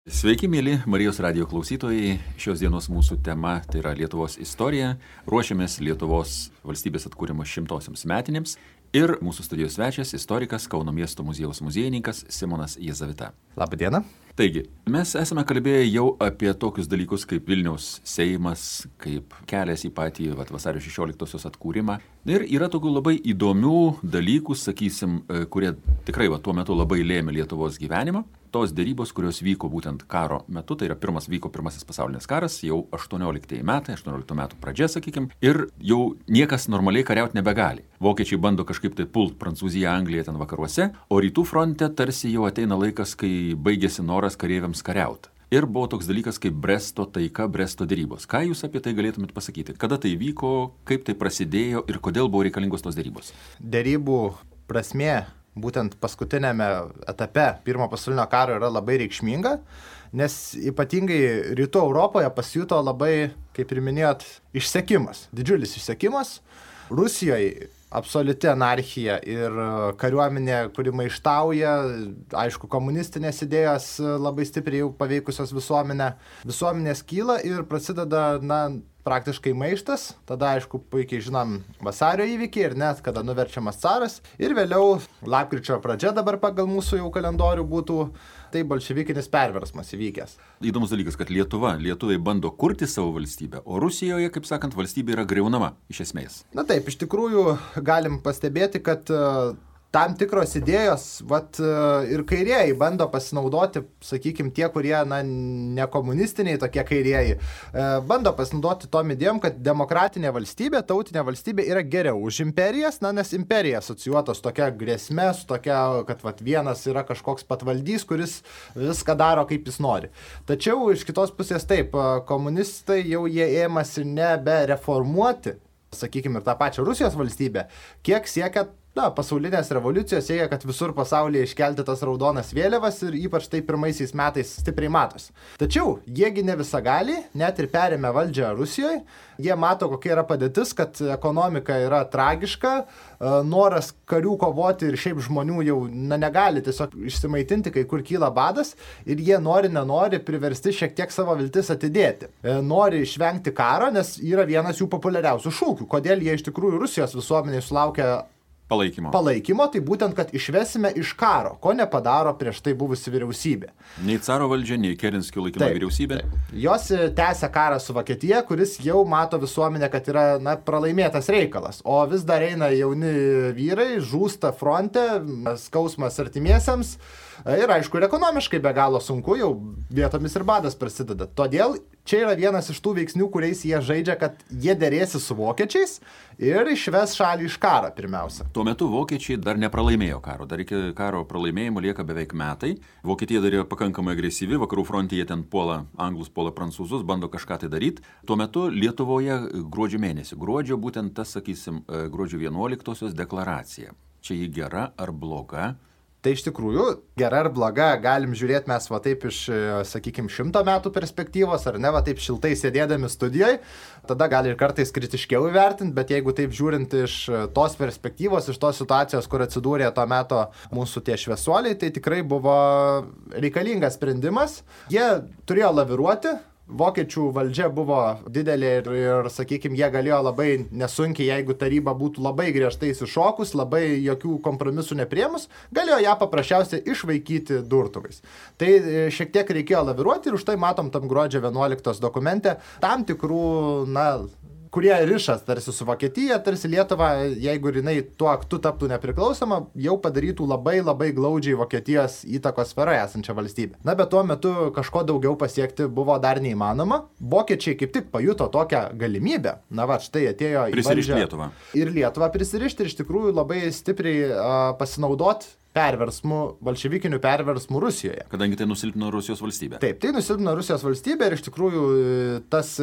Sveiki, mėly Marijos radijo klausytojai. Šios dienos mūsų tema tai yra Lietuvos istorija. Ruošiamės Lietuvos valstybės atkūrimo 100-osiams metinėms. Ir mūsų studijos svečias, istorikas, Kauno miesto muziejaus muziejininkas Simonas Jezavita. Labą dieną. Taigi, mes esame kalbėję jau apie tokius dalykus kaip Vilniaus Seimas, kaip kelias į patį vasario 16-osios atkūrimą. Ir yra tokių labai įdomių dalykų, sakysim, kurie tikrai tuo metu labai lėmė Lietuvos gyvenimą. Tos dėrybos, kurios vyko būtent karo metu, tai yra pirmasis pasaulinis karas, jau 18 metų pradžia, sakykim, ir jau niekas normaliai kariauti nebegali. Vokiečiai bando kažkaip tai pult Prancūziją, Angliją ten vakaruose, o rytų fronte tarsi jau ateina laikas, kai baigėsi noras kareiviams kariauti. Ir buvo toks dalykas kaip Bresto taika, Bresto dėrybos. Ką jūs apie tai galėtumėt pasakyti? Kada tai vyko, kaip tai prasidėjo ir kodėl buvo reikalingos tos dėrybos? Dėrybų prasmė būtent paskutinėme etape Pirmo pasaulinio karo yra labai reikšminga, nes ypatingai rytų Europoje pasijuto labai, kaip ir minėjot, išsekimas, didžiulis išsekimas. Rusijoje absoliuti anarchija ir kariuomenė, kuri maištauja, aišku, komunistinės idėjos labai stipriai jau paveikusios visuomenę. Visuomenės kyla ir prasideda, praktiškai maištas, tada aišku puikiai žinom vasario įvykiai ir net kada nuverčiamas caras ir vėliau lapkričio pradžia dabar pagal mūsų jau kalendorių būtų tai bolševikinis perversmas įvykęs. Įdomus dalykas, kad lietuviai bando kurti savo valstybę, o Rusijoje, kaip sakant, valstybė yra griaunama iš esmės. Na taip, iš tikrųjų galim pastebėti, kad tam tikros idėjos, ir kairieji bando pasinaudoti, sakykime, tie, kurie, ne komunistiniai tokie kairieji, bando pasinaudoti tom idėjom, kad demokratinė valstybė, tautinė valstybė yra geriau už imperijas, nes imperija asocijuotos tokia grėsme, su tokia, kad vienas yra kažkoks patvaldys, kuris viską daro, kaip jis nori. Tačiau iš kitos pusės taip, komunistai jau jie ėmasi nebe reformuoti, sakykime, ir tą pačią Rusijos valstybę, kiek siekia pasaulinės revoliucijos siekia, kad visur pasaulyje iškelti tas raudonas vėliavas ir ypač tai pirmaisiais metais stipriai matosi. Tačiau jiegi ne visagaliai, net ir perėmė valdžią Rusijoje, jie mato, kokia yra padėtis, kad ekonomika yra tragiška, noras karių kovoti ir šiaip žmonių jau negali tiesiog išsimaitinti, kai kur kyla badas ir jie nenori priversti šiek tiek savo viltis atidėti. Nori išvengti karo, nes yra vienas jų populiariausių šūkių. Kodėl jie iš tikrųjų Rusijos visuomeniai sulaukia palaikymo, tai būtent, kad išvesime iš karo, ko nepadaro prieš tai buvusi vyriausybė. Nei caro valdžia, nei Kerenskio laikino vyriausybė. Jos tęsia karą su Vokietija, kuris jau mato visuomenę, kad yra pralaimėtas reikalas, o vis dar eina jauni vyrai, žūsta fronte, skausmas artimiesiems ir aišku, ir ekonomiškai be galo sunku, jau vietomis ir badas prasideda. Todėl čia yra vienas iš tų veiksnių, kuriais jie žaidžia, kad jie derėsi su vokiečiais ir išves šalį iš karą pirmiausia. Tuo metu vokiečiai dar nepralaimėjo karo, dar iki karo pralaimėjimo lieka beveik metai. Vokietija dar yra pakankamai agresyvi, vakarų fronte jie ten puola anglus, puola prancūzus, bando kažką tai daryti. Tuo metu Lietuvoje gruodžio būtent tas, sakysim, gruodžio 11-osios deklaracija. Čia ji gera ar bloga? Tai iš tikrųjų, gera ar bloga, galim žiūrėti mes taip iš, sakykime, 100 metų perspektyvos, ar ne, taip šiltai sėdėdami studijoje, tada gali ir kartais kritiškiau įvertinti, bet jeigu taip žiūrint iš tos perspektyvos, iš tos situacijos, kur atsidūrė to meto mūsų tie šviesuoliai, tai tikrai buvo reikalingas sprendimas. Jie turėjo laviruoti. Vokiečių valdžia buvo didelė ir sakykime, jie galėjo labai nesunkiai, jeigu taryba būtų labai griežtai įsišokus, labai jokių kompromisų nepriėmus, galėjo ją paprasčiausiai išvaikyti durtuvais. Tai šiek tiek reikėjo laviruoti ir už tai matom tam gruodžio 11 dokumente tam tikrų, kurie rišas tarsi su Vokietija, tarsi Lietuva, jeigu jinai tuo aktu taptų nepriklausoma, jau padarytų labai labai glaudžiai Vokietijos įtakos sferoje esančią valstybę. Bet tuo metu kažko daugiau pasiekti buvo dar neįmanoma. Vokiečiai kaip tik pajuto tokią galimybę. Štai atėjo į valdžią Lietuvą. Ir Lietuvą prisirišti ir iš tikrųjų labai stipriai pasinaudoti bolševikinių perversmų Rusijoje. Kadangi tai nusilpino Rusijos valstybę. Taip, tai nusilpino Rusijos valstybę ir iš tikrųjų tas,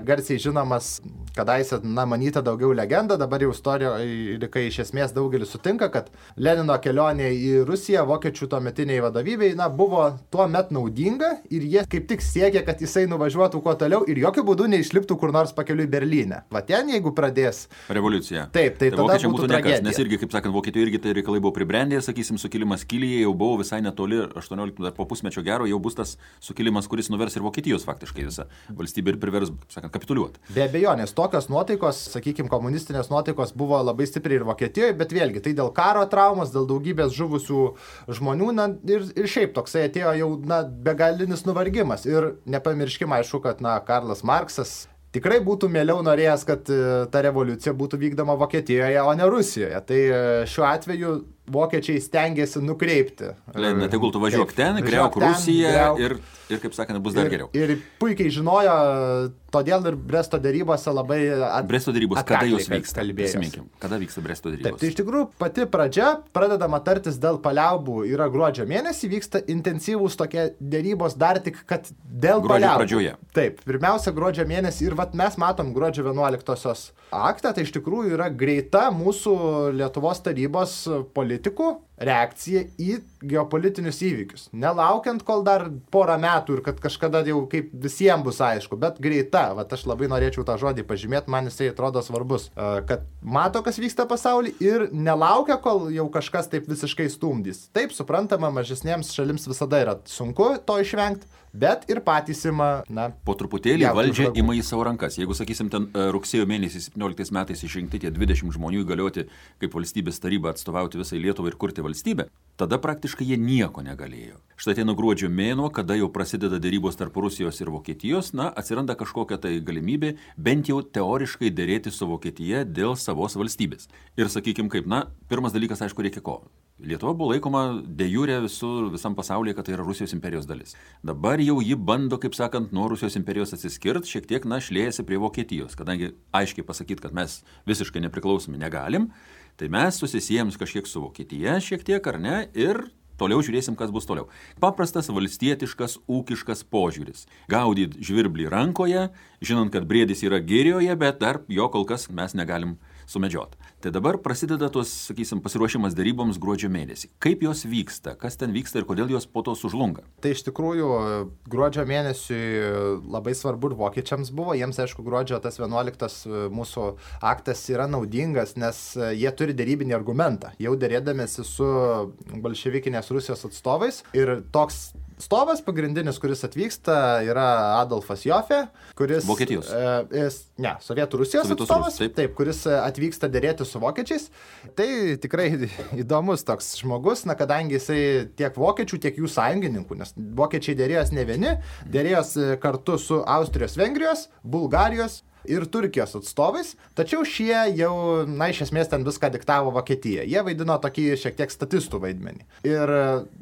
garsiai žinomas, kadaise, manyta daugiau legenda, dabar jau istorijoje, kai iš esmės daugelis sutinka, kad Lenino kelionė į Rusiją vokiečių tuometiniai vadovybei, buvo tuo met naudinga ir jie kaip tik siekė, kad jisai nuvažiuotų kuo toliau ir jokių būdų neišliptų kur nors pakeliui Berlyne. Ten, jeigu pradės revoliucija. Taip, tai tada būtų tragedija. Nes irgi, kaip sakant, Vokietijoje irgi tai reikalai buvo pribrendę, sakysim, sakysim, sukilimas Kilyje jau buvo visai netoli 18, dar po pusmečio gero, jau bus tas sukilimas, kuris nuvers ir Vokietijos faktiškai visą valstybę ir privers, sakant, kapituliuoti. Be abejonės, tokios nuotaikos, sakykime, komunistinės nuotaikos buvo labai stipriai ir Vokietijoje, bet vėlgi, tai dėl karo traumos, dėl daugybės žuvusių žmonių, na, ir šiaip toksai atėjo jau, na, begalinis nuvargimas. Ir nepamirškime, aišku, kad, na, Karlas Marksas tikrai būtų mieliau norėjęs, kad ta revoliucija būtų vykdoma Vokietijoje, o ne Rusijoje. Tai šiuo atveju vokiečiai stengiasi nukreipti. Lenina, tegul tu važiuok ten, griauk Rusiją ir, kaip sakant, bus dar geriau. Ir puikiai žinojo, todėl ir Bresto dėrybose labai Bresto dėrybos, kada jos vyksta? Prisiminkim, kada vyksta Bresto dėrybos? Taip, tai iš tikrųjų pati pradžia, pradedama tartis dėl paliaubų, yra gruodžio mėnesį, vyksta intensyvūs tokie dėrybos dar tik, kad dėl paliaubų. Pradžioje. Taip, pirmiausia gruodžio mėnesį ir vat mes matom gruodžio 11-osios aktą, tai iš tikrųjų yra greita mūsų Lietuvos tarybos politikų reakcija į geopolitinius įvykius. Nelaukiant, kol dar porą metų ir kad kažkada jau kaip visiems bus aišku, bet greita, vat aš labai norėčiau tą žodį pažymėti, man jisai atrodo svarbus, kad mato, kas vyksta pasaulyje ir nelaukia, kol jau kažkas taip visiškai stumdys. Taip, suprantama, mažesniems šalims visada yra sunku to išvengti, bet ir patys ima, na, po truputėlį valdžia ima į savo rankas. Jeigu, sakysim, ten rugsėjo mėnesį 17 metais išrinkti tie 20 žmonių įgalioti kaip valstybės taryba atstovauti visai Lietuvai ir kurti valstybę, tada praktiškai jie nieko negalėjo. Štai ateina gruodžio mėnuo, kada jau prasideda dėrybos tarp Rusijos ir Vokietijos, na, atsiranda kažkokia tai galimybė bent jau teoriškai dėrėti su Vokietija dėl savos valstybės. Ir sakykim kaip, na, pirmas dalykas, aišku, reikia ko. Lietuva buvo laikoma de jure visam pasaulyje, kad tai yra Rusijos imperijos dalis. Dabar jau ji bando, kaip sakant, nuo Rusijos imperijos atsiskirt, šiek tiek, na, šliejasi prie Vokietijos, kadangi aiškiai pasakyti, kad mes visiškai nepriklausomi negalim, tai mes susisijėm kažkiek su Vokietija, šiek tiek ar ne, ir toliau žiūrėsim, kas bus toliau. Paprastas valstietiškas, ūkiškas požiūris. Gaudyt žvirblį rankoje, žinant, kad briedis yra girioje, bet dar jo kol kas mes negalim sumedžiot. Tai dabar prasideda tos, sakysim, pasiruošimas deryboms gruodžio mėnesį. Kaip jos vyksta, kas ten vyksta ir kodėl jos po to sužlunga? Tai iš tikrųjų gruodžio mėnesiui labai svarbu ir vokiečiams buvo. Jiems, aišku, gruodžio tas 11 mūsų aktas yra naudingas, nes jie turi derybinį argumentą. Jau derėdamėsi su bolševikinės Rusijos atstovais ir toks atstovas pagrindinis, kuris atvyksta, yra Adolfas Jofė, kuris... Vokietijos? Sovietų Rusijos atstovas, taip, kuris atvyksta derėti su vokiečiais. Tai tikrai įdomus toks žmogus, na, kadangi jisai tiek vokiečių, tiek jų sąjungininkų, nes vokiečiai derėjos ne vieni, derėjos kartu su Austrijos, Vengrijos, Bulgarijos ir Turkijos atstovais, tačiau šie jau, na, iš esmės ten viską diktavo Vokietija. Jie vaidino tokį šiek tiek statistų vaidmenį. Ir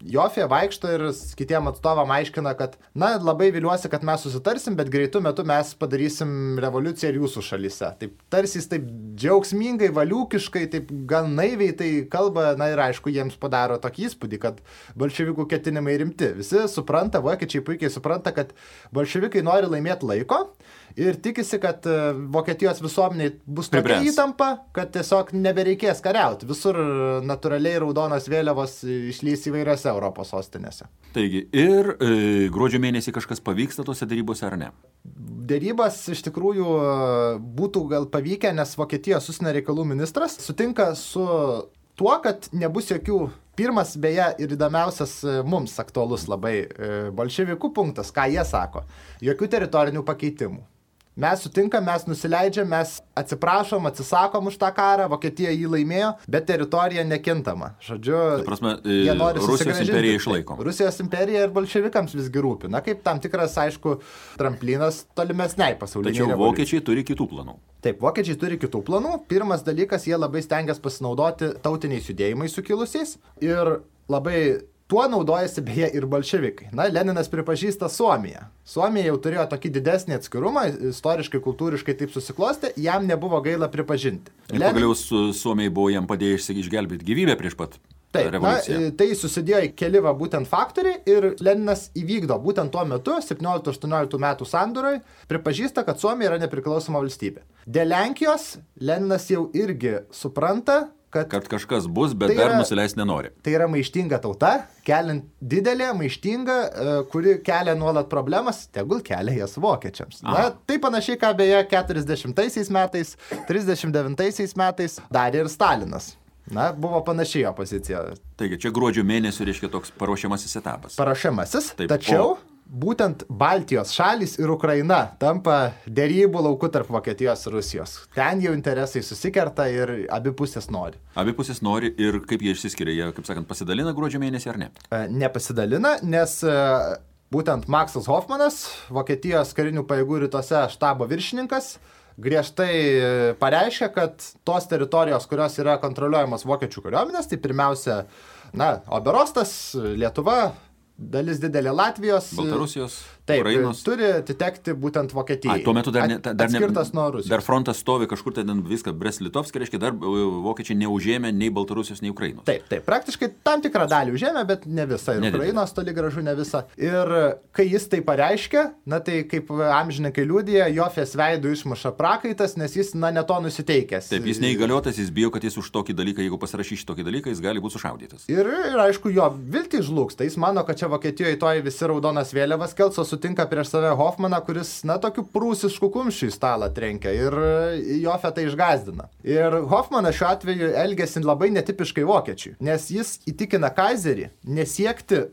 Jofė vaikšto ir kitiem atstovam aiškina, kad, na, labai viliuosi, kad mes susitarsim, bet greitų metų mes padarysim revoliuciją ir jūsų šalyse. Taip, tarsi jis taip džiaugsmingai, valiūkiškai, taip gan naiviai tai kalba, na ir aišku, jiems padaro tokį įspūdį, kad bolševikų ketinimai rimti. Visi supranta, vokiečiai puikiai supranta, kad bolševikai nori laimėti laiko ir tikisi, kad Vokietijos visuomeniai bus tokia įtampa, kad tiesiog nebereikės kariauti. Visur natūraliai raudonos vėliavos išlys įvairiose Europos sostinėse. Taigi, ir gruodžio mėnesį kažkas pavyksta tose darybose ar ne? Darybas iš tikrųjų būtų gal pavykę, nes Vokietijos užsienio reikalų ministras sutinka su tuo, kad nebus jokių. Pirmas, beje, ir įdomiausias mums aktualus labai bolševikų punktas, ką jie sako. Jokių teritorinių pakeitimų. Mes sutinkam, mes nusileidžiam, mes atsiprašom, atsisakom už tą karą, Vokietija jį laimėjo, bet teritorija nekintama. Žodžiu, jie nori Rusijos imperija išlaikom. Rusijos imperija ir bolševikams visgi rūpi. Na, kaip tam tikras, aišku, tramplinas tolimesniai pasauliniai revoliucijai. Tačiau vokiečiai turi kitų planų. Taip, vokiečiai turi kitų planų. Pirmas dalykas, jie labai stengiasi pasinaudoti tautiniais judėjimais sukilusiais ir labai tuo naudojasi beje ir bolševikai. Na, Leninas pripažįsta Suomiją. Suomija jau turėjo tokį didesnį atskirumą, istoriškai, kultūriškai taip susiklostė, jam nebuvo gaila pripažinti. Ir pagaliau Suomijai buvo jam padėję išgelbėti gyvybę prieš pat revoliuciją. Tai susidėjo į keli būtent faktoriai ir Leninas įvykdo būtent tuo metu, 17-18 metų sandūroj, pripažįsta, kad Suomija yra nepriklausoma valstybė. Dėl Lenkijos Leninas jau irgi supranta, kad kažkas bus, bet dar nusileis nenori. Tai yra maištinga tauta, keliant didelė, maištinga, kuri kelia nuolat problemas, tegul kelia jas vokiečiams. Na, tai panašiai, ką beje 40 metais, 39 metais darė ir Stalinas. Na, buvo panašiai jo pozicija. Taigi, čia gruodžio mėnesio reiškia toks paruošiamasis etapas. Paruošiamasis, Taip, tačiau būtent Baltijos šalys ir Ukraina tampa dėrybų lauku tarp Vokietijos ir Rusijos. Ten jau interesai susikerta ir abi pusės nori. Abi pusės nori ir kaip jie išsiskiria, jie, kaip sakant, pasidalina gruodžio mėnesį ar ne? Nepasidalina, nes būtent Maksas Hofmanas, Vokietijos karinių pajėgų rytuose štabo viršininkas, griežtai pareiškia, kad tos teritorijos, kurios yra kontroliuojamos vokiečių kariuomenės, tai pirmiausia, Oberostas, Lietuva, dalis didelė Latvijos, Baltarusijos, taip, Ukrainos. Turi atitekti būtent Vokietijai. Tuo metu atskirtas nuo Rusijos. Dar frontas stovi kažkur ten viską Brest-Litovskį, reiškia, dar vokiečiai neužėmė nei Baltarusijos, nei Ukrainos. Taip, praktiškai tam tikrą dalį užėmė, bet ne visą. Ir Ukrainos toli gražu ne visą. Ir kai jis tai pareiškia, tai kaip amžininkai liudija, Jofės veidų išmuša prakaitas, nes jis, ne to nusiteikęs. Taip, jis neįgaliotas, jis bijo, kad jis už tokį dalyką, jeigu pasirašys tokį dalyką, jis gali būti sušaudytas. Ir aišku, jo viltį žlugsta. Jis mano, kad čia Vokietijoje toj visi raudonas vėliavas kels, o sutinka prieš save Hofmaną, kuris, tokiu prūsišku kumščiu į stalą trenkia ir Jofę tai išgazdina. Ir Hofmanas šiuo atveju elgėsi labai netipiškai vokiečiui, nes jis įtikina Kaiserį nesiekti,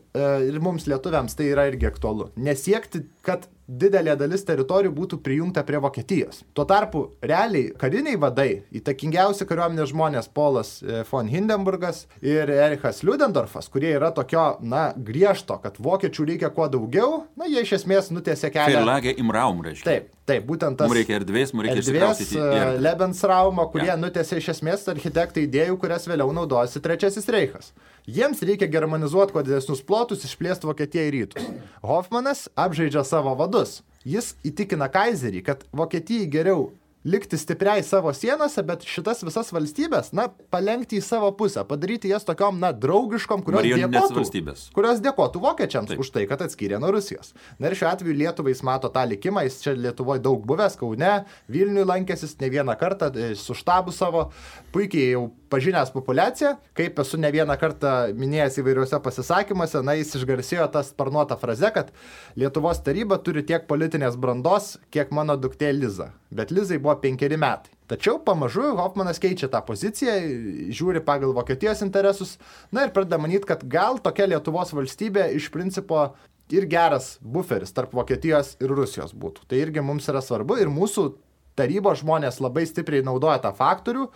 ir mums lietuviams tai yra irgi aktualu, nesiekti, kad didelė dalis teritorijų būtų prijungta prie Vokietijos. Tuo tarpu, realiai, kariniai vadai, įtakingiausi kariuomenės žmonės Polas von Hindenburgas ir Erichas Ludendorfas, kurie yra tokio, griežto, kad vokiečių reikia kuo daugiau, jie iš esmės nutiesė kelią. Verlage im Raum, reiškia. Taip, būtent tas. Mums reikia erdvės, mums reikia išsikraustyti. Lebensraumo, kurie nutiesė iš esmės architektai idėjų, kurias vėliau naudojasi Trečiasis Reichas. Jiems reikia germanizuoti kuo didesnius plotus, išplėsti Vokietiją į rytus. Hofmanas apžaidžia savo vadus. Jis įtikina Kaiserį, kad Vokietijai geriau likti stipriai savo sienose, bet šitas visas valstybės, palenkti į savo pusę, padaryti jas tokiom, draugiškom, kurios dėkotų vokiečiams už tai, kad atskyrė nuo Rusijos. Ir šiuo atveju Lietuvai jis mato tą likimą, jis čia Lietuvoje daug buvęs, Kaune, Vilniuje lankėsis ne vieną kartą, su štabu savo, puikiai jau pažinęs populiaciją, kaip esu ne vieną kartą minėjęs įvairiuose pasisakymuose, jis išgarsėjo tą sparnuotą frazę, kad Lietuvos taryba turi tiek politinės brandos, kiek mano duktė Liza. Bet Lizai buvo 5 metai. Tačiau pamažu Hofmanas keičia tą poziciją, žiūri pagal Vokietijos interesus, ir pradeda manyti, kad gal tokia Lietuvos valstybė iš principo ir geras buferis tarp Vokietijos ir Rusijos būtų. Tai irgi mums yra svarbu ir mūsų tarybos žmonės labai stipriai naudoja tą faktorių,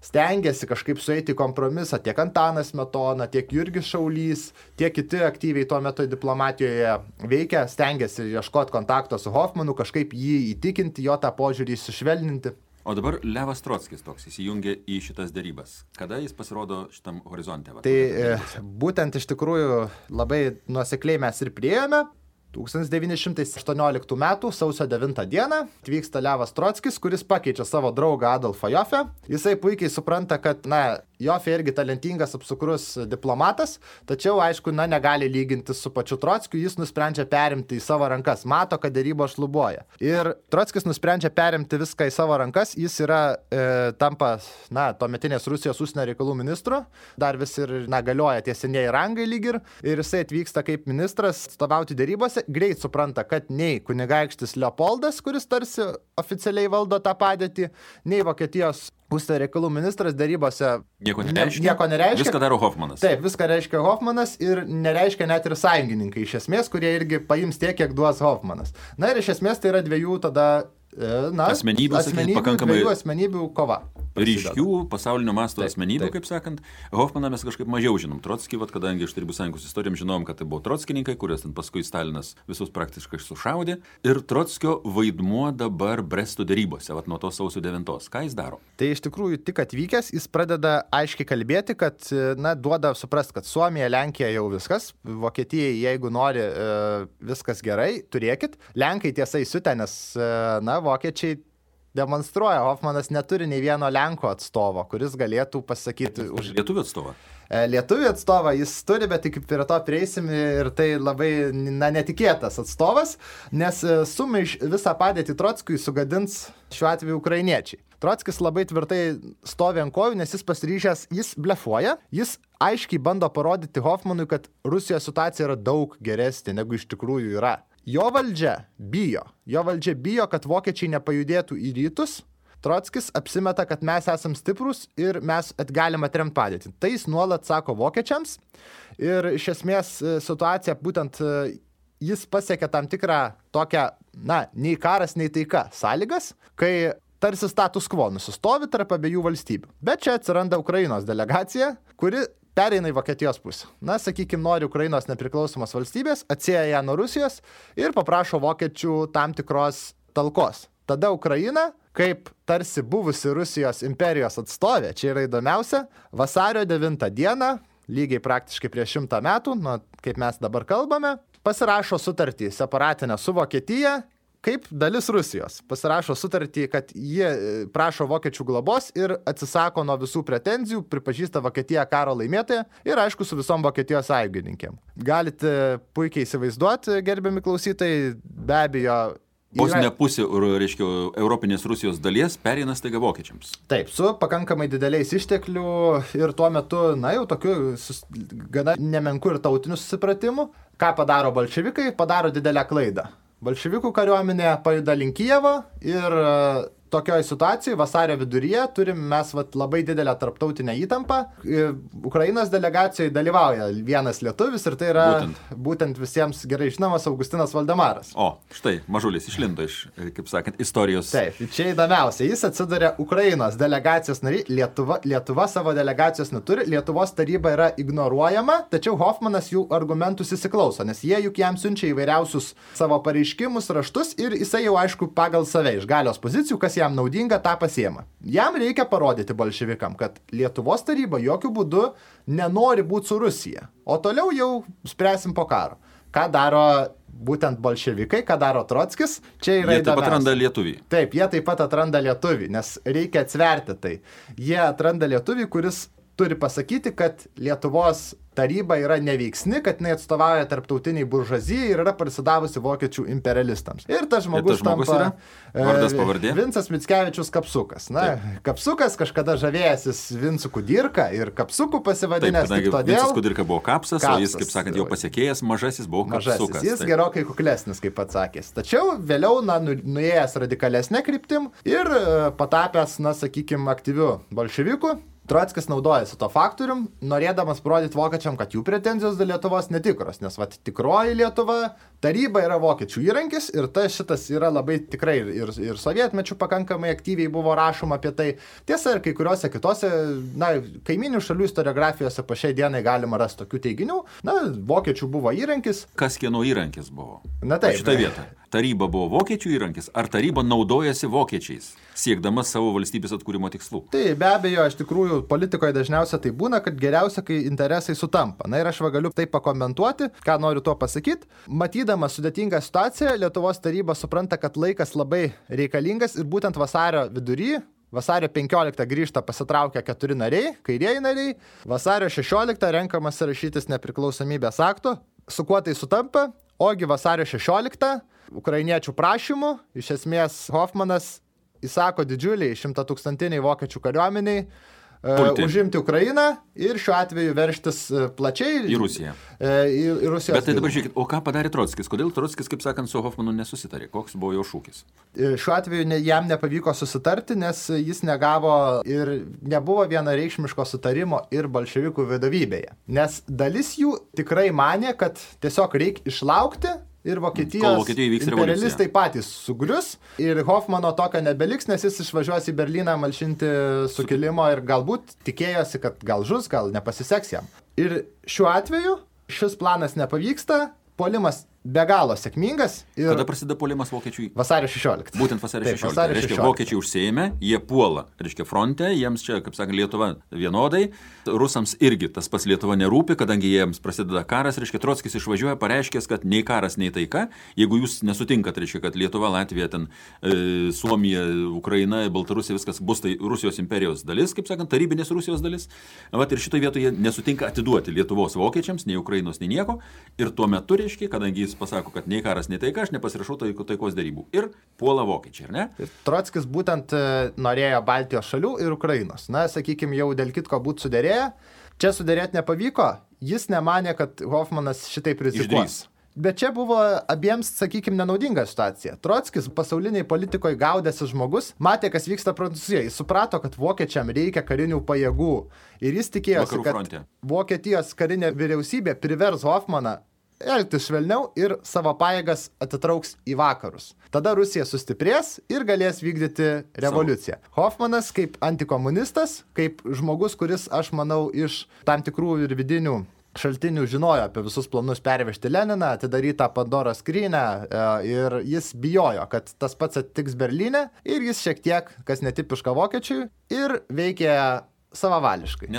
stengiasi kažkaip sueiti kompromisą tiek Antanas Smetona, tiek Jurgis Šaulys, tiek kiti aktyviai tuo metu diplomatijoje veikia, stengiasi ieškoti kontakto su Hofmanu, kažkaip jį įtikinti, jo tą požiūrį sušvelninti. O dabar Levas Trockis toks įsijungia į šitas derybas. Kada jis pasirodo šitam horizonte? Tai būtent iš tikrųjų labai nuosekliai mes ir priėjome. 1918 metų sausio 9 dieną atvyksta Levas Trockis, kuris pakeičia savo draugą Adolfą Jofę. Jisai puikiai supranta, kad, Jofė irgi talentingas, apsukrus diplomatas, tačiau, aišku, negali lygintis su pačiu Trockiu, jis nusprendžia perimti į savo rankas, mato, kad derybos šlubuoja. Ir Trockis nusprendžia perimti viską į savo rankas, jis yra, tampa, tuometinės Rusijos užsienio reikalų ministru, dar vis ir, galioja tie senieji rangai lyg ir jisai atvyksta kaip ministras atstovauti derybose, greit supranta, kad nei kunigaikštis Leopoldas, kuris tarsi oficialiai valdo tą padėtį, nei Vokietijos užsienio reikalų ministras derybose nieko nereiškia. Viską daro Hofmanas. Taip, viską reiškia Hofmanas ir nereiškia net ir sąjungininkai iš esmės, kurie irgi paims tiek, kiek duos Hofmanas. Ir iš esmės tai yra dviejų tada asmenybių kova. Ryškių pasaulinio masto asmenybių, kaip sakant. Hofmaną mes kažkaip mažiau žinom. Trockį, kadangi iš Tarybų sąjungos istorijom žinom, kad tai buvo trockininkai, kuriuos ten paskui Stalinas visus praktiškai sušaudė. Ir Trockio vaidmuo dabar Bresto derybose, nuo to sausio 9. Ką jis daro? Tai iš tikrųjų tik atvykęs, jis pradeda aiškiai kalbėti, kad, duoda suprast, kad Suomija, Lenkija jau viskas. Vokietijai, jeigu nori viskas gerai, turėkit. Lenkai tiesa įsiutę, nes, vokiečiai demonstruoja, Hofmanas neturi nei vieno Lenko atstovo, kuris galėtų pasakyti už lietuvių atstovą. Lietuvių atstovą jis turi, bet tik prie to prieisim ir tai labai netikėtas atstovas, nes visą padėtį Trockiui sugadins šiuo atveju ukrainiečiai. Trockis labai tvirtai stovi ant kojų, nes jis pasiryžęs, jis blefuoja, jis aiškiai bando parodyti Hofmanui, kad Rusijos situacija yra daug geresnė, negu iš tikrųjų yra. Jo valdžia bijo, kad vokiečiai nepajudėtų į rytus, Trockis apsimeta, kad mes esam stiprus ir mes galim atremti padėtį. Tai jis nuolat sako vokiečiams ir iš esmės situacija būtent jis pasiekė tam tikrą tokią, nei karas, nei taika sąlygas, kai tarsi status quo nusistovi tarp abiejų valstybių. Bet čia atsiranda Ukrainos delegacija, kuri pereina į Vokietijos pusę. Sakykime, nori Ukrainos nepriklausomos valstybės, atsieja ją nuo Rusijos ir paprašo vokiečių tam tikros talkos. Tada Ukraina, kaip tarsi buvusi Rusijos imperijos atstovė, čia yra įdomiausia, vasario 9 dieną, lygiai praktiškai prieš 100 metų, kaip mes dabar kalbame, pasirašo sutartį separatinę su Vokietija, kaip dalis Rusijos. Pasirašo sutartį, kad jie prašo vokiečių globos ir atsisako nuo visų pretenzijų, pripažįsta Vokietiją karo laimėtoją ir aišku su visom Vokietijos sąjungininkėm. Galite puikiai įsivaizduoti, gerbiami klausytojai, be abejo. Vos ne pusė, reiškia, Europinės Rusijos dalies pereina staiga vokiečiams. Taip, su pakankamai dideliais išteklių ir tuo metu, jau tokiu gana nemenku ir tautiniu susipratimu. Ką padaro bolševikai? Padaro didelę klaidą. Bolševikų kariuomenė pajuda link Kijevo ir tokioje situacijoje vasario viduryje turim mes labai didelę tarptautinę įtampą. Ukrainos delegacijoje dalyvauja vienas lietuvis ir tai yra būtent visiems gerai žinomas Augustinas Valdemaras. O, štai, mažulis išlindo iš, kaip sakant, istorijos. Taip, čia įdomiausia, jis atsiduria Ukrainos delegacijos nariai, Lietuva savo delegacijos neturi, Lietuvos taryba yra ignoruojama, tačiau Hoffmanas jų argumentus įsiklauso, nes jie juk jam siunčia įvairiausius savo pareiškimus, raštus ir jisai jau aišku pagal save iš galios pozicijų, kas jam naudinga, tą pasiema. Jam reikia parodyti bolševikam, kad Lietuvos taryba jokių būdų nenori būti su Rusija, o toliau jau spręsim po karo. Ką daro būtent bolševikai, ką daro Trockis, čia yra įdomiausia. Jie taip pat atranda lietuvį. Taip, jie taip pat atranda lietuvį, nes reikia atsverti tai. Jie atranda lietuvį, kuris turi pasakyti, kad Lietuvos taryba yra neveiksni, kad jinai atstovauja tarptautiniai buržuazijai ir yra parsidavusi vokiečių imperialistams. Ir tas žmogus tampa yra? Vardas, pavardė? Vincas Mickevičius Kapsukas. Kapsukas kažkada žavėjęsis Vincu Kudirka ir Kapsuku pasivadinęs tik todėl. Vincas Kudirka buvo Kapsas, o jis, kaip sakant, jau pasiekėjęs, mažasis buvo Kapsukas. Jis gerokai kuklesnis, kaip atsakęs. Tačiau vėliau, nuėjęs radikalesnė kryptim ir patapęs, sakykime, aktyviu bolševiku, Trockis naudojasi to faktorium, norėdamas parodyti vokiečiam, kad jų pretenzijos dėl Lietuvos netikros, nes tikroji Lietuva, taryba yra vokiečių įrankis ir šitas yra labai tikrai ir sovietmečių pakankamai aktyviai buvo rašoma apie tai. Tiesa, ir kai kuriuose kitose, kaiminių šalių istoriografijose po šiai dienai galima rasti tokių teiginių. Vokiečių buvo įrankis. Kas kieno įrankis buvo? Taip. Šitą vietą. Taryba buvo vokiečių įrankis, ar taryba naudojasi vokiečiais, siekdama savo valstybės atkūrimo tikslų? Tai be abejo, iš tikrųjų, politikoje dažniausiai tai būna, kad geriausia, kai interesai sutampa. Ir aš galiu tai pakomentuoti, ką noriu tuo pasakyti. Matydama sudėtingą situaciją, Lietuvos taryba supranta, kad laikas labai reikalingas ir būtent vasario vidury, vasario 15 grįžta pasitraukia 4 nariai, kairieji nariai, vasario 16 renkamas rašytis nepriklausomybės akto, su kuo tai sutampa, ogi vasario 16 ukrainiečių prašymų, iš esmės Hoffmanas įsako didžiuliai 100-tūkstantiniai vokiečių kariuomeniai užimti Ukrainą ir šiuo atveju verštis plačiai į Rusiją. Į Rusijos. Bet tai dabar žiūrėkit, o ką padarė Trockis? Kodėl Trockis, kaip sakant, su Hoffmanu nesusitarė? Koks buvo jo šūkis? Šiuo atveju jam nepavyko susitarti, nes jis negavo ir nebuvo vienareikšmiško sutarimo ir bolševikų vadovybėje. Nes dalis jų tikrai manė, kad tiesiog reikia išlaukti ir Vokietijos imperialistai patys sugrius ir Hoffmano tokio nebeliks, nes jis išvažiuos į Berlyną malšinti sukilimo ir galbūt tikėjosi, kad gal žus, gal nepasiseks jam. Ir šiuo atveju šis planas nepavyksta, puolimas be galo sėkmingas. Ir kada prasideda puolimas vokiečių? Vasario 16. Būtent vasario 16. Reiškia, vokiečiai užsiėmė, jie puola, reiškia, fronte, jiems čia, kaip sakant, Lietuva vienodai, rusams irgi tas pats Lietuva nerūpi, kadangi jiems prasideda karas, reiškia, Trockis išvažiuoja, pareiškęs, kad nei karas, nei taika, jeigu jūs nesutinkat, reiškia, kad Lietuva, Latvija, ten Suomija, Ukraina, Baltarusija, viskas bus tai Rusijos imperijos dalis, kaip sakant, tarybinės Rusijos dalis. Ir šitoje vietoje jie nesutinka atiduoti Lietuvos vokiečiams, nei Ukrainos, nei nieko. Ir tuo metu, reiškia, kadangi jis pasako, kad nei karas, nei taika, aš nepasirašau taikos derybų. Ir puola vokiečiai, ar ne? Ir Trockis būtent norėjo Baltijos šalių ir Ukrainos. Sakykime, jau dėl kitko būtų suderėję. Čia suderėti nepavyko. Jis nemanė, kad Hoffmanas šitaip rizikuos. Bet čia buvo abiems, sakykime, nenaudinga situacija. Trockis pasauliniai politikoje gaudėsi žmogus, matė, kas vyksta Prancūzijoje. Jis suprato, kad vokiečiam reikia karinių pajėgų. Ir jis tikėjosi, kad Vokietijos karinė vyriausybė privers Hoffmaną elgtis švelniau ir savo pajėgas atitrauks į vakarus. Tada Rusija sustiprės ir galės vykdyti revoliuciją. Hoffmanas kaip antikomunistas, kaip žmogus, kuris, aš manau, iš tam tikrų ir vidinių šaltinių žinojo apie visus planus pervežti Leniną, atidarytą Pandoros skrynią ir jis bijojo, kad tas pats atsitiks Berlyne ir jis šiek tiek, kas netipiška vokiečiui, ir veikė savavališkai.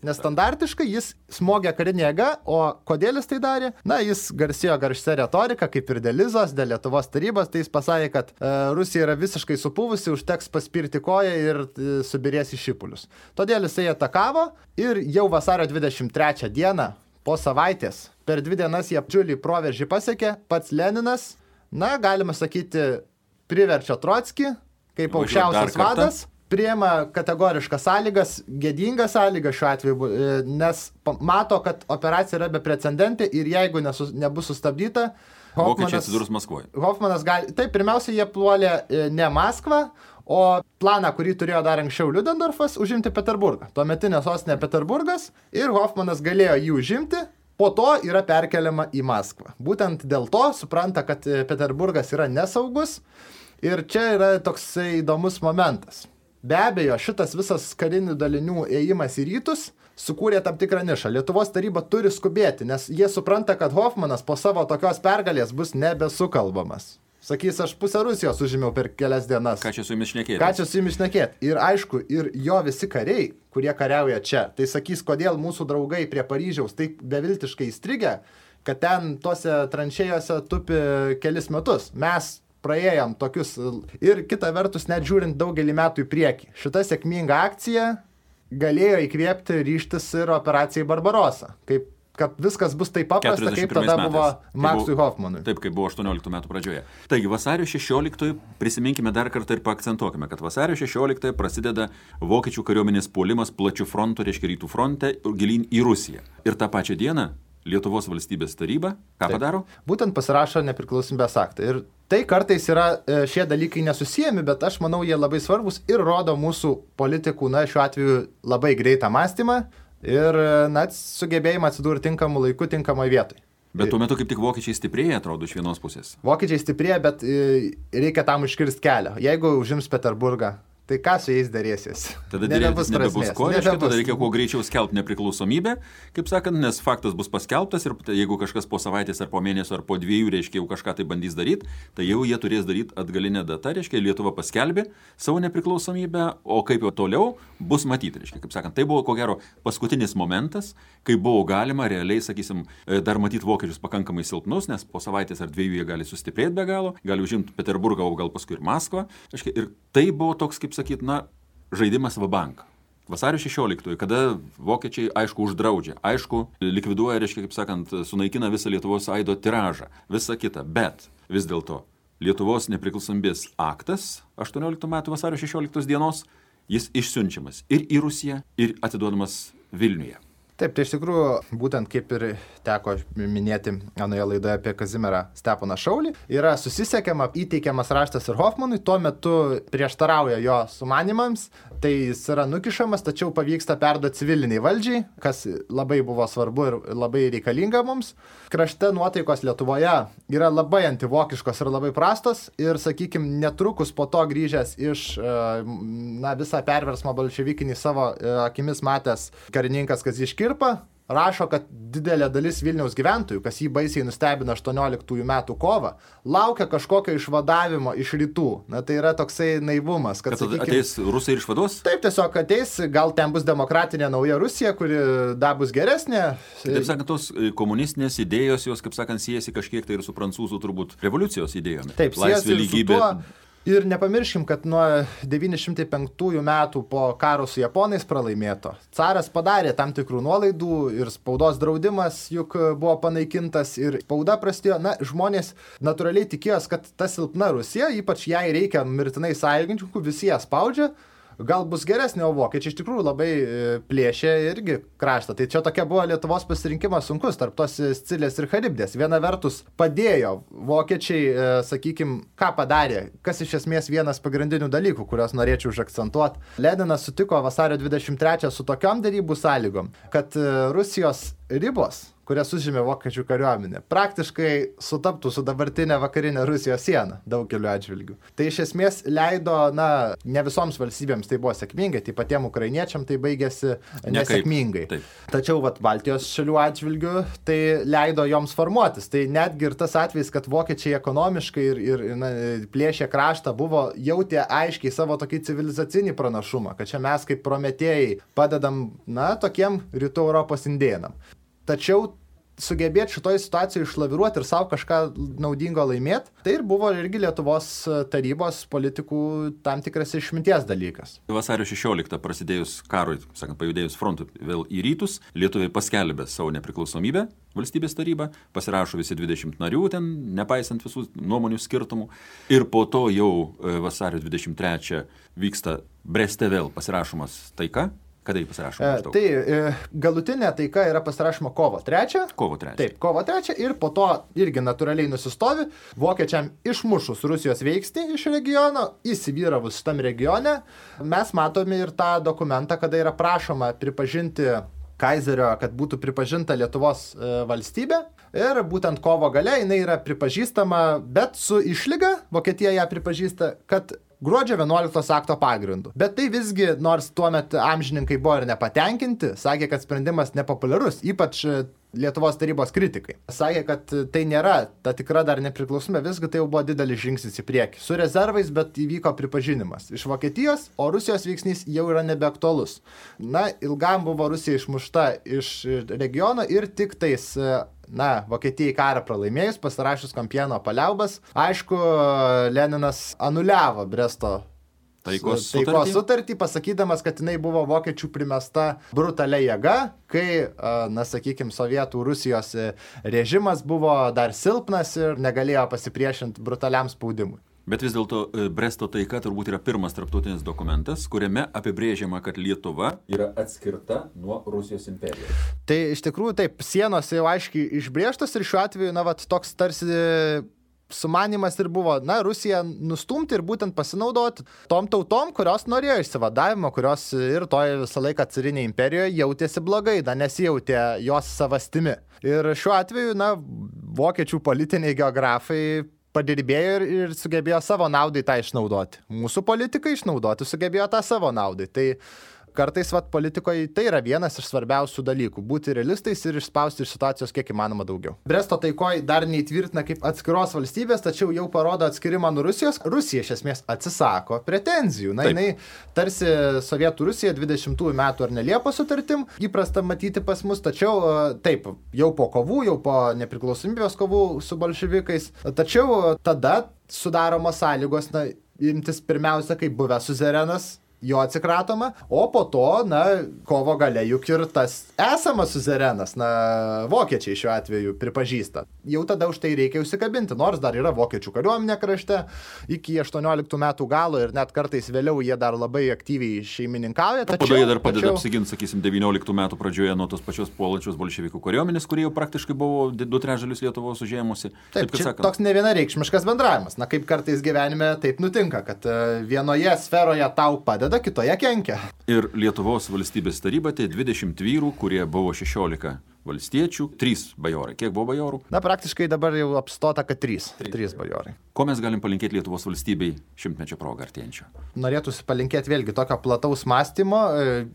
Nestandartiškai jis smogė karinė jėga, o kodėl jis tai darė? Na, jis garsėjo garsia retorika, kaip ir dėl Lizos, dėl Lietuvos tarybos, tai jis pasakė, kad Rusija yra visiškai supuvusi, užteks paspirti koją ir subirės į šipulius. Todėl jisai atakavo ir jau vasario 23 dieną, po savaitės, per 2 dienas jie didžiulį proveržį pasiekė, pats Leninas, na, galima sakyti, priverčia Trockį, kaip aukščiausias vadas, priema kategoriškas sąlygas, gėdingas sąlygas šiuo atveju, nes mato, kad operacija yra beprecedentė ir jeigu nebus sustabdyta, Vokiečiai atsidurs Maskvoje. Hoffmanas gali... Taip, pirmiausia, jie puolė ne Maskvą, o planą, kurį turėjo dar anksčiau Liudendorfas, užimti Peterburgą. Tuometinė sostinė Peterburgas ir Hoffmanas galėjo jį užimti, po to yra perkeliama į Maskvą. Būtent dėl to supranta, kad Peterburgas yra nesaugus ir čia yra toksai įdomus momentas. Be abejo, šitas visas karinių dalinių ėjimas į rytus sukūrė tam tikrą nišą. Lietuvos taryba turi skubėti, nes jie supranta, kad Hoffmanas po savo tokios pergalės bus nebesukalbamas. Sakys, aš pusę Rusijos užėmiau per kelias dienas. Ką čia su jumis šnekėti? Ir aišku, ir jo visi kariai, kurie kariauja čia, tai sakys, kodėl mūsų draugai prie Paryžiaus taip beviltiškai įstrigę, kad ten tose tranšėjose tupi kelis metus. Mes praėjom tokius ir kita vertus, net žiūrint daugelį metų į priekį. Šita sėkminga akcija galėjo įkvėpti ryžtis ir operacijai Barbarossa. Kad viskas bus taip paprasta, kaip tada buvo Maksui Hoffmanui. Taip, kaip buvo 18 metų pradžioje. Taigi, vasario 16 prisiminkime dar kartą ir paakcentuokime, kad vasario 16 prasideda vokiečių kariuomenės puolimas plačių frontų, reiškia rytų fronte, gilyn į Rusiją. Ir tą pačią dieną Lietuvos valstybės taryba, ką padaro? Būtent pasirašo nepriklausomybės aktą. Ir tai kartais yra šie dalykai nesusijami, bet aš manau, jie labai svarbus ir rodo mūsų politikų, na, šiuo atveju labai greitą mąstymą ir, na, sugebėjimą atsidurti tinkamų laikų, tinkamoje vietoje. Bet tuo metu kaip tik vokiečiai stiprėja, atrodo, iš vienos pusės. Vokiečiai stiprėja, bet reikia tam užkirsti kelią. Jeigu užims Peterburgą, tai ką su jais darėsies? Tada nebebus ko, tada reikia kuo greičiau skelbti nepriklausomybę, kaip sakant, nes faktas bus paskelbtas ir jeigu kažkas po savaitės ar po mėnesio ar po 2, reiškia, jau kažką tai bandys daryti, tai jau jie turės daryti atgalinę datą, reiškia, Lietuva paskelbė savo nepriklausomybę, o kaip jau toliau bus matyti, reiškia, kaip sakant, tai buvo ko gero paskutinis momentas, kai buvo galima realiai, sakysim, dar matyti vokiečius pakankamai silpnus, nes po savaitės ar 2 jie gali sustiprėti be galo, gali užimti Peterburgą, o gal paskui ir Maskvą, reiškia, ir tai buvo toks, kaip sakyt, na, žaidimas vabank. Vasario 16, kada vokiečiai, aišku, uždraudžia, aišku, likviduoja, reiškia, kaip sakant, sunaikina visą Lietuvos aido tiražą, visą kitą, bet vis dėlto Lietuvos nepriklausomybės aktas 18 metų vasario 16 dienos, jis išsiunčiamas ir į Rusiją, ir atiduodamas Vilniuje. Taip, tai iš tikrųjų, būtent kaip ir teko minėti anoje laidoje apie Kazimierą Steponą Šaulį, yra susisiekiama, įteikiamas raštas ir Hoffmanui, tuo metu prieštarauja jo sumanimams, tai jis yra nukišamas, tačiau pavyksta perduoti civiliniai valdžiai, kas labai buvo svarbu ir labai reikalinga mums. Krašte nuotaikos Lietuvoje yra labai antivokiškos ir labai prastos ir, sakykime, netrukus po to grįžęs iš visą perversmą bolševikinį savo akimis matęs karininkas Kazys Škirpa, rašo, kad didelė dalis Vilniaus gyventojų, kas jį baisiai nustebino 18 metų kovą, laukia kažkokio išvadavimo iš rytų. Na, tai yra toksai naivumas. Kad ateis Rusai ir išvados? Taip, tiesiog ateis, gal ten bus demokratinė nauja Rusija, kuri dar bus geresnė. Taip sakant, tos komunistinės idėjos, jos, kaip sakant, siejasi kažkiek tai ir su prancūzų turbūt revoliucijos idėjomis. Taip, laisvė, lygybė. Ir nepamirškim, kad nuo 905 metų po karo su japonais pralaimėto, caras padarė tam tikrų nuolaidų ir spaudos draudimas juk buvo panaikintas ir spauda prasidėjo. Na, žmonės natūraliai tikėjos, kad ta silpna Rusija, ypač jai reikia mirtinai sąjungininkų, visi ją spaudžia, gal bus geresnė, o vokiečiai iš tikrųjų labai plėšė irgi kraštą. Tai čia tokia buvo Lietuvos pasirinkimas sunkus tarp tos Scilės ir Charibdės. Viena vertus padėjo vokiečiai, sakykime, ką padarė, kas iš esmės vienas pagrindinių dalykų, kuriuos norėčiau užakcentuoti. Leninas sutiko vasario 23 su tokiom derybų sąlygom, kad Rusijos ribos, kurias užėmė vokiečių kariuomenė, praktiškai sutaptų su dabartinė vakarinė Rusijos siena daugeliu atžvilgių. Tai iš esmės leido, ne visoms valstybėms tai buvo sėkmingai, tai patiem ukrainiečiam tai baigėsi nesėkmingai. Tačiau Baltijos šalių atžvilgių tai leido joms formuotis. Tai netgi ir tas atvejis, kad vokiečiai ekonomiškai ir plėšė kraštą, jautė aiškiai savo tokį civilizacinį pranašumą, kad čia mes kaip prometėjai padedam, tokiem rytų Europos indėnam. Tačiau sugebėti šitoj situacijoje išlaviruoti ir savo kažką naudingo laimėti, tai ir buvo irgi Lietuvos tarybos politikų tam tikras išminties dalykas. Vasario 16 prasidėjus karui, pajudėjus frontu vėl į rytus, lietuviai paskelbė savo nepriklausomybę, valstybės taryba, pasirašo visi 20 narių ten, nepaisant visų nuomonių skirtumų. Ir po to jau vasario 23 vyksta Breste vėl pasirašomas taika. Kada jį pasirašoma? Tai galutinė taika yra pasirašoma kovo 3. Kovo 3. Taip, kovo 3 ir po to irgi natūraliai nusistovi. Vokiečiam išmušus Rusijos veiksnį iš regiono, įsivyravus šitam regione, mes matome ir tą dokumentą, kada yra prašoma pripažinti Kaizerio, kad būtų pripažinta Lietuvos valstybė. Ir būtent kovo gale jinai yra pripažįstama, bet su išlyga, Vokietija ją pripažįsta, kad gruodžio 11 akto pagrindu. Bet tai visgi, nors tuomet amžininkai buvo ir nepatenkinti, sakė, kad sprendimas nepopuliarus, ypač Lietuvos tarybos kritikai. Sakė, kad tai nėra ta tikra dar nepriklausomybė, visgi tai jau buvo didelis žingsnis į priekį. Su rezervais, bet įvyko pripažinimas iš Vokietijos, o Rusijos veiksnys jau yra nebeaktualus. Ilgam buvo Rusija išmušta iš regiono ir tik tais Vokietijai karą pralaimėjus, pasirašius Kompieno paliaubas. Aišku, Leninas anuliavo Bresto taikos sutartį, pasakydamas, kad jinai buvo vokiečių primesta brutalia jėga, kai, sakykime, sovietų Rusijos režimas buvo dar silpnas ir negalėjo pasipriešinti brutaliam spaudimui. Bet vis dėlto Bresto taika turbūt yra pirmas tarptautinis dokumentas, kuriame apibrėžiama, kad Lietuva yra atskirta nuo Rusijos imperijos. Tai iš tikrųjų taip, sienos jau aiškiai išbrėžtos ir šiuo atveju, toks tarsi sumanimas ir buvo, Rusiją nustumti ir būtent pasinaudoti tom tautom, kurios norėjo išsivadavimo, kurios ir toje visą laiką carinėje imperijoje jautėsi blogai, nesijautė jos savastimi. Ir šiuo atveju, vokiečių politiniai geografai padirbėjo ir sugebėjo savo naudai tą išnaudoti. Mūsų politikai išnaudoti sugebėjo tą savo naudai. Tai kartais politikoje tai yra vienas iš svarbiausių dalykų – būti realistais ir išspausti iš situacijos kiek įmanoma daugiau. Bresto taikoj dar neįtvirtina kaip atskiros valstybės, tačiau jau parodo atskirimą nuo Rusijos. Rusija iš esmės atsisako pretenzijų. Jinai tarsi Sovietų Rusija 20 metų ar ne Liepos sutartim įprasta matyti pas mus, tačiau taip, jau po kovų, jau po nepriklausomybės kovų su bolševikais. Tačiau tada sudaromos sąlygos imtis pirmiausia kaip buvęs suzerenas, jo atsikratoma, o po to, kovo gale juk ir tas esamas suzerenas, vokiečiai šiuo atveju pripažįsta. Jau tada už tai reikia užsikabinti, nors dar yra vokiečių kariuomenė krašte iki 18 metų galo ir net kartais vėliau jie dar labai aktyviai šeimininkauja. Tačiau jie dar padeda apsiginti, sakysim, 19 metų pradžioje nuo tos pačios puolančios bolševikų kariuomenės, kurie jau praktiškai buvo 2/3 Lietuvos užėmusi. Taip, toks nevienareikšmiškas bendravimas. Kaip kartais gyvenime taip nutinka, kad vienoje sferoje tau padeda, kitoje kenkia. Ir Lietuvos valstybės taryba tai 20 vyrų, kurie buvo 16 valstiečių, 3 bajorai. Kiek buvo bajorų? Praktiškai dabar jau apstota, kad 3 bajorai. Ko mes galim palinkėti Lietuvos valstybei šimtmečio progą artėjančio? Norėtųsi palinkėti vėlgi tokio plataus mąstymo,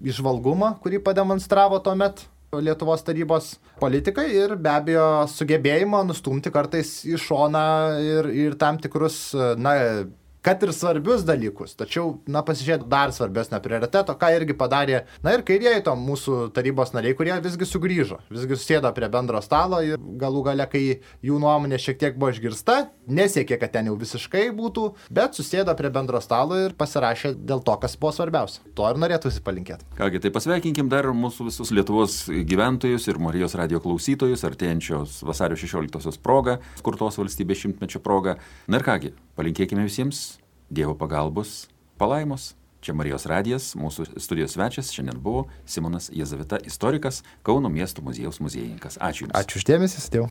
įžvalgumo, kurį pademonstravo tuomet Lietuvos tarybos politikai ir be abejo sugebėjimo nustumti kartais į šoną ir tam tikrus, kad ir svarbius dalykus, tačiau, pasižiūrėti dar svarbesnio prioriteto, ką irgi padarė, ir kairieji to mūsų tarybos nariai, kurie visgi sugrįžo, visgi susėdo prie bendro stalo ir galų gale, kai jų nuomonė šiek tiek buvo išgirsta, nesiekė, kad ten jau visiškai būtų, bet susėdo prie bendro stalo ir pasirašė dėl to, kas buvo svarbiausia. To ir norėtųsi palinkėti. Kągi, tai pasveikinkim dar mūsų visus Lietuvos gyventojus ir Marijos radijo klausytojus artėjančios vasario 16 proga, skurtos valstybės šimtmečio proga. Ir kągi, palinkėkime visiems Dievo pagalbos, palaimos Čia Marijos radijas, mūsų studijos svečias šiandien buvo Simonas Jazavita, istorikas, Kauno miesto muziejaus muziejininkas. Ačiū Jums. Ačiū už dėmesį, sudėjau.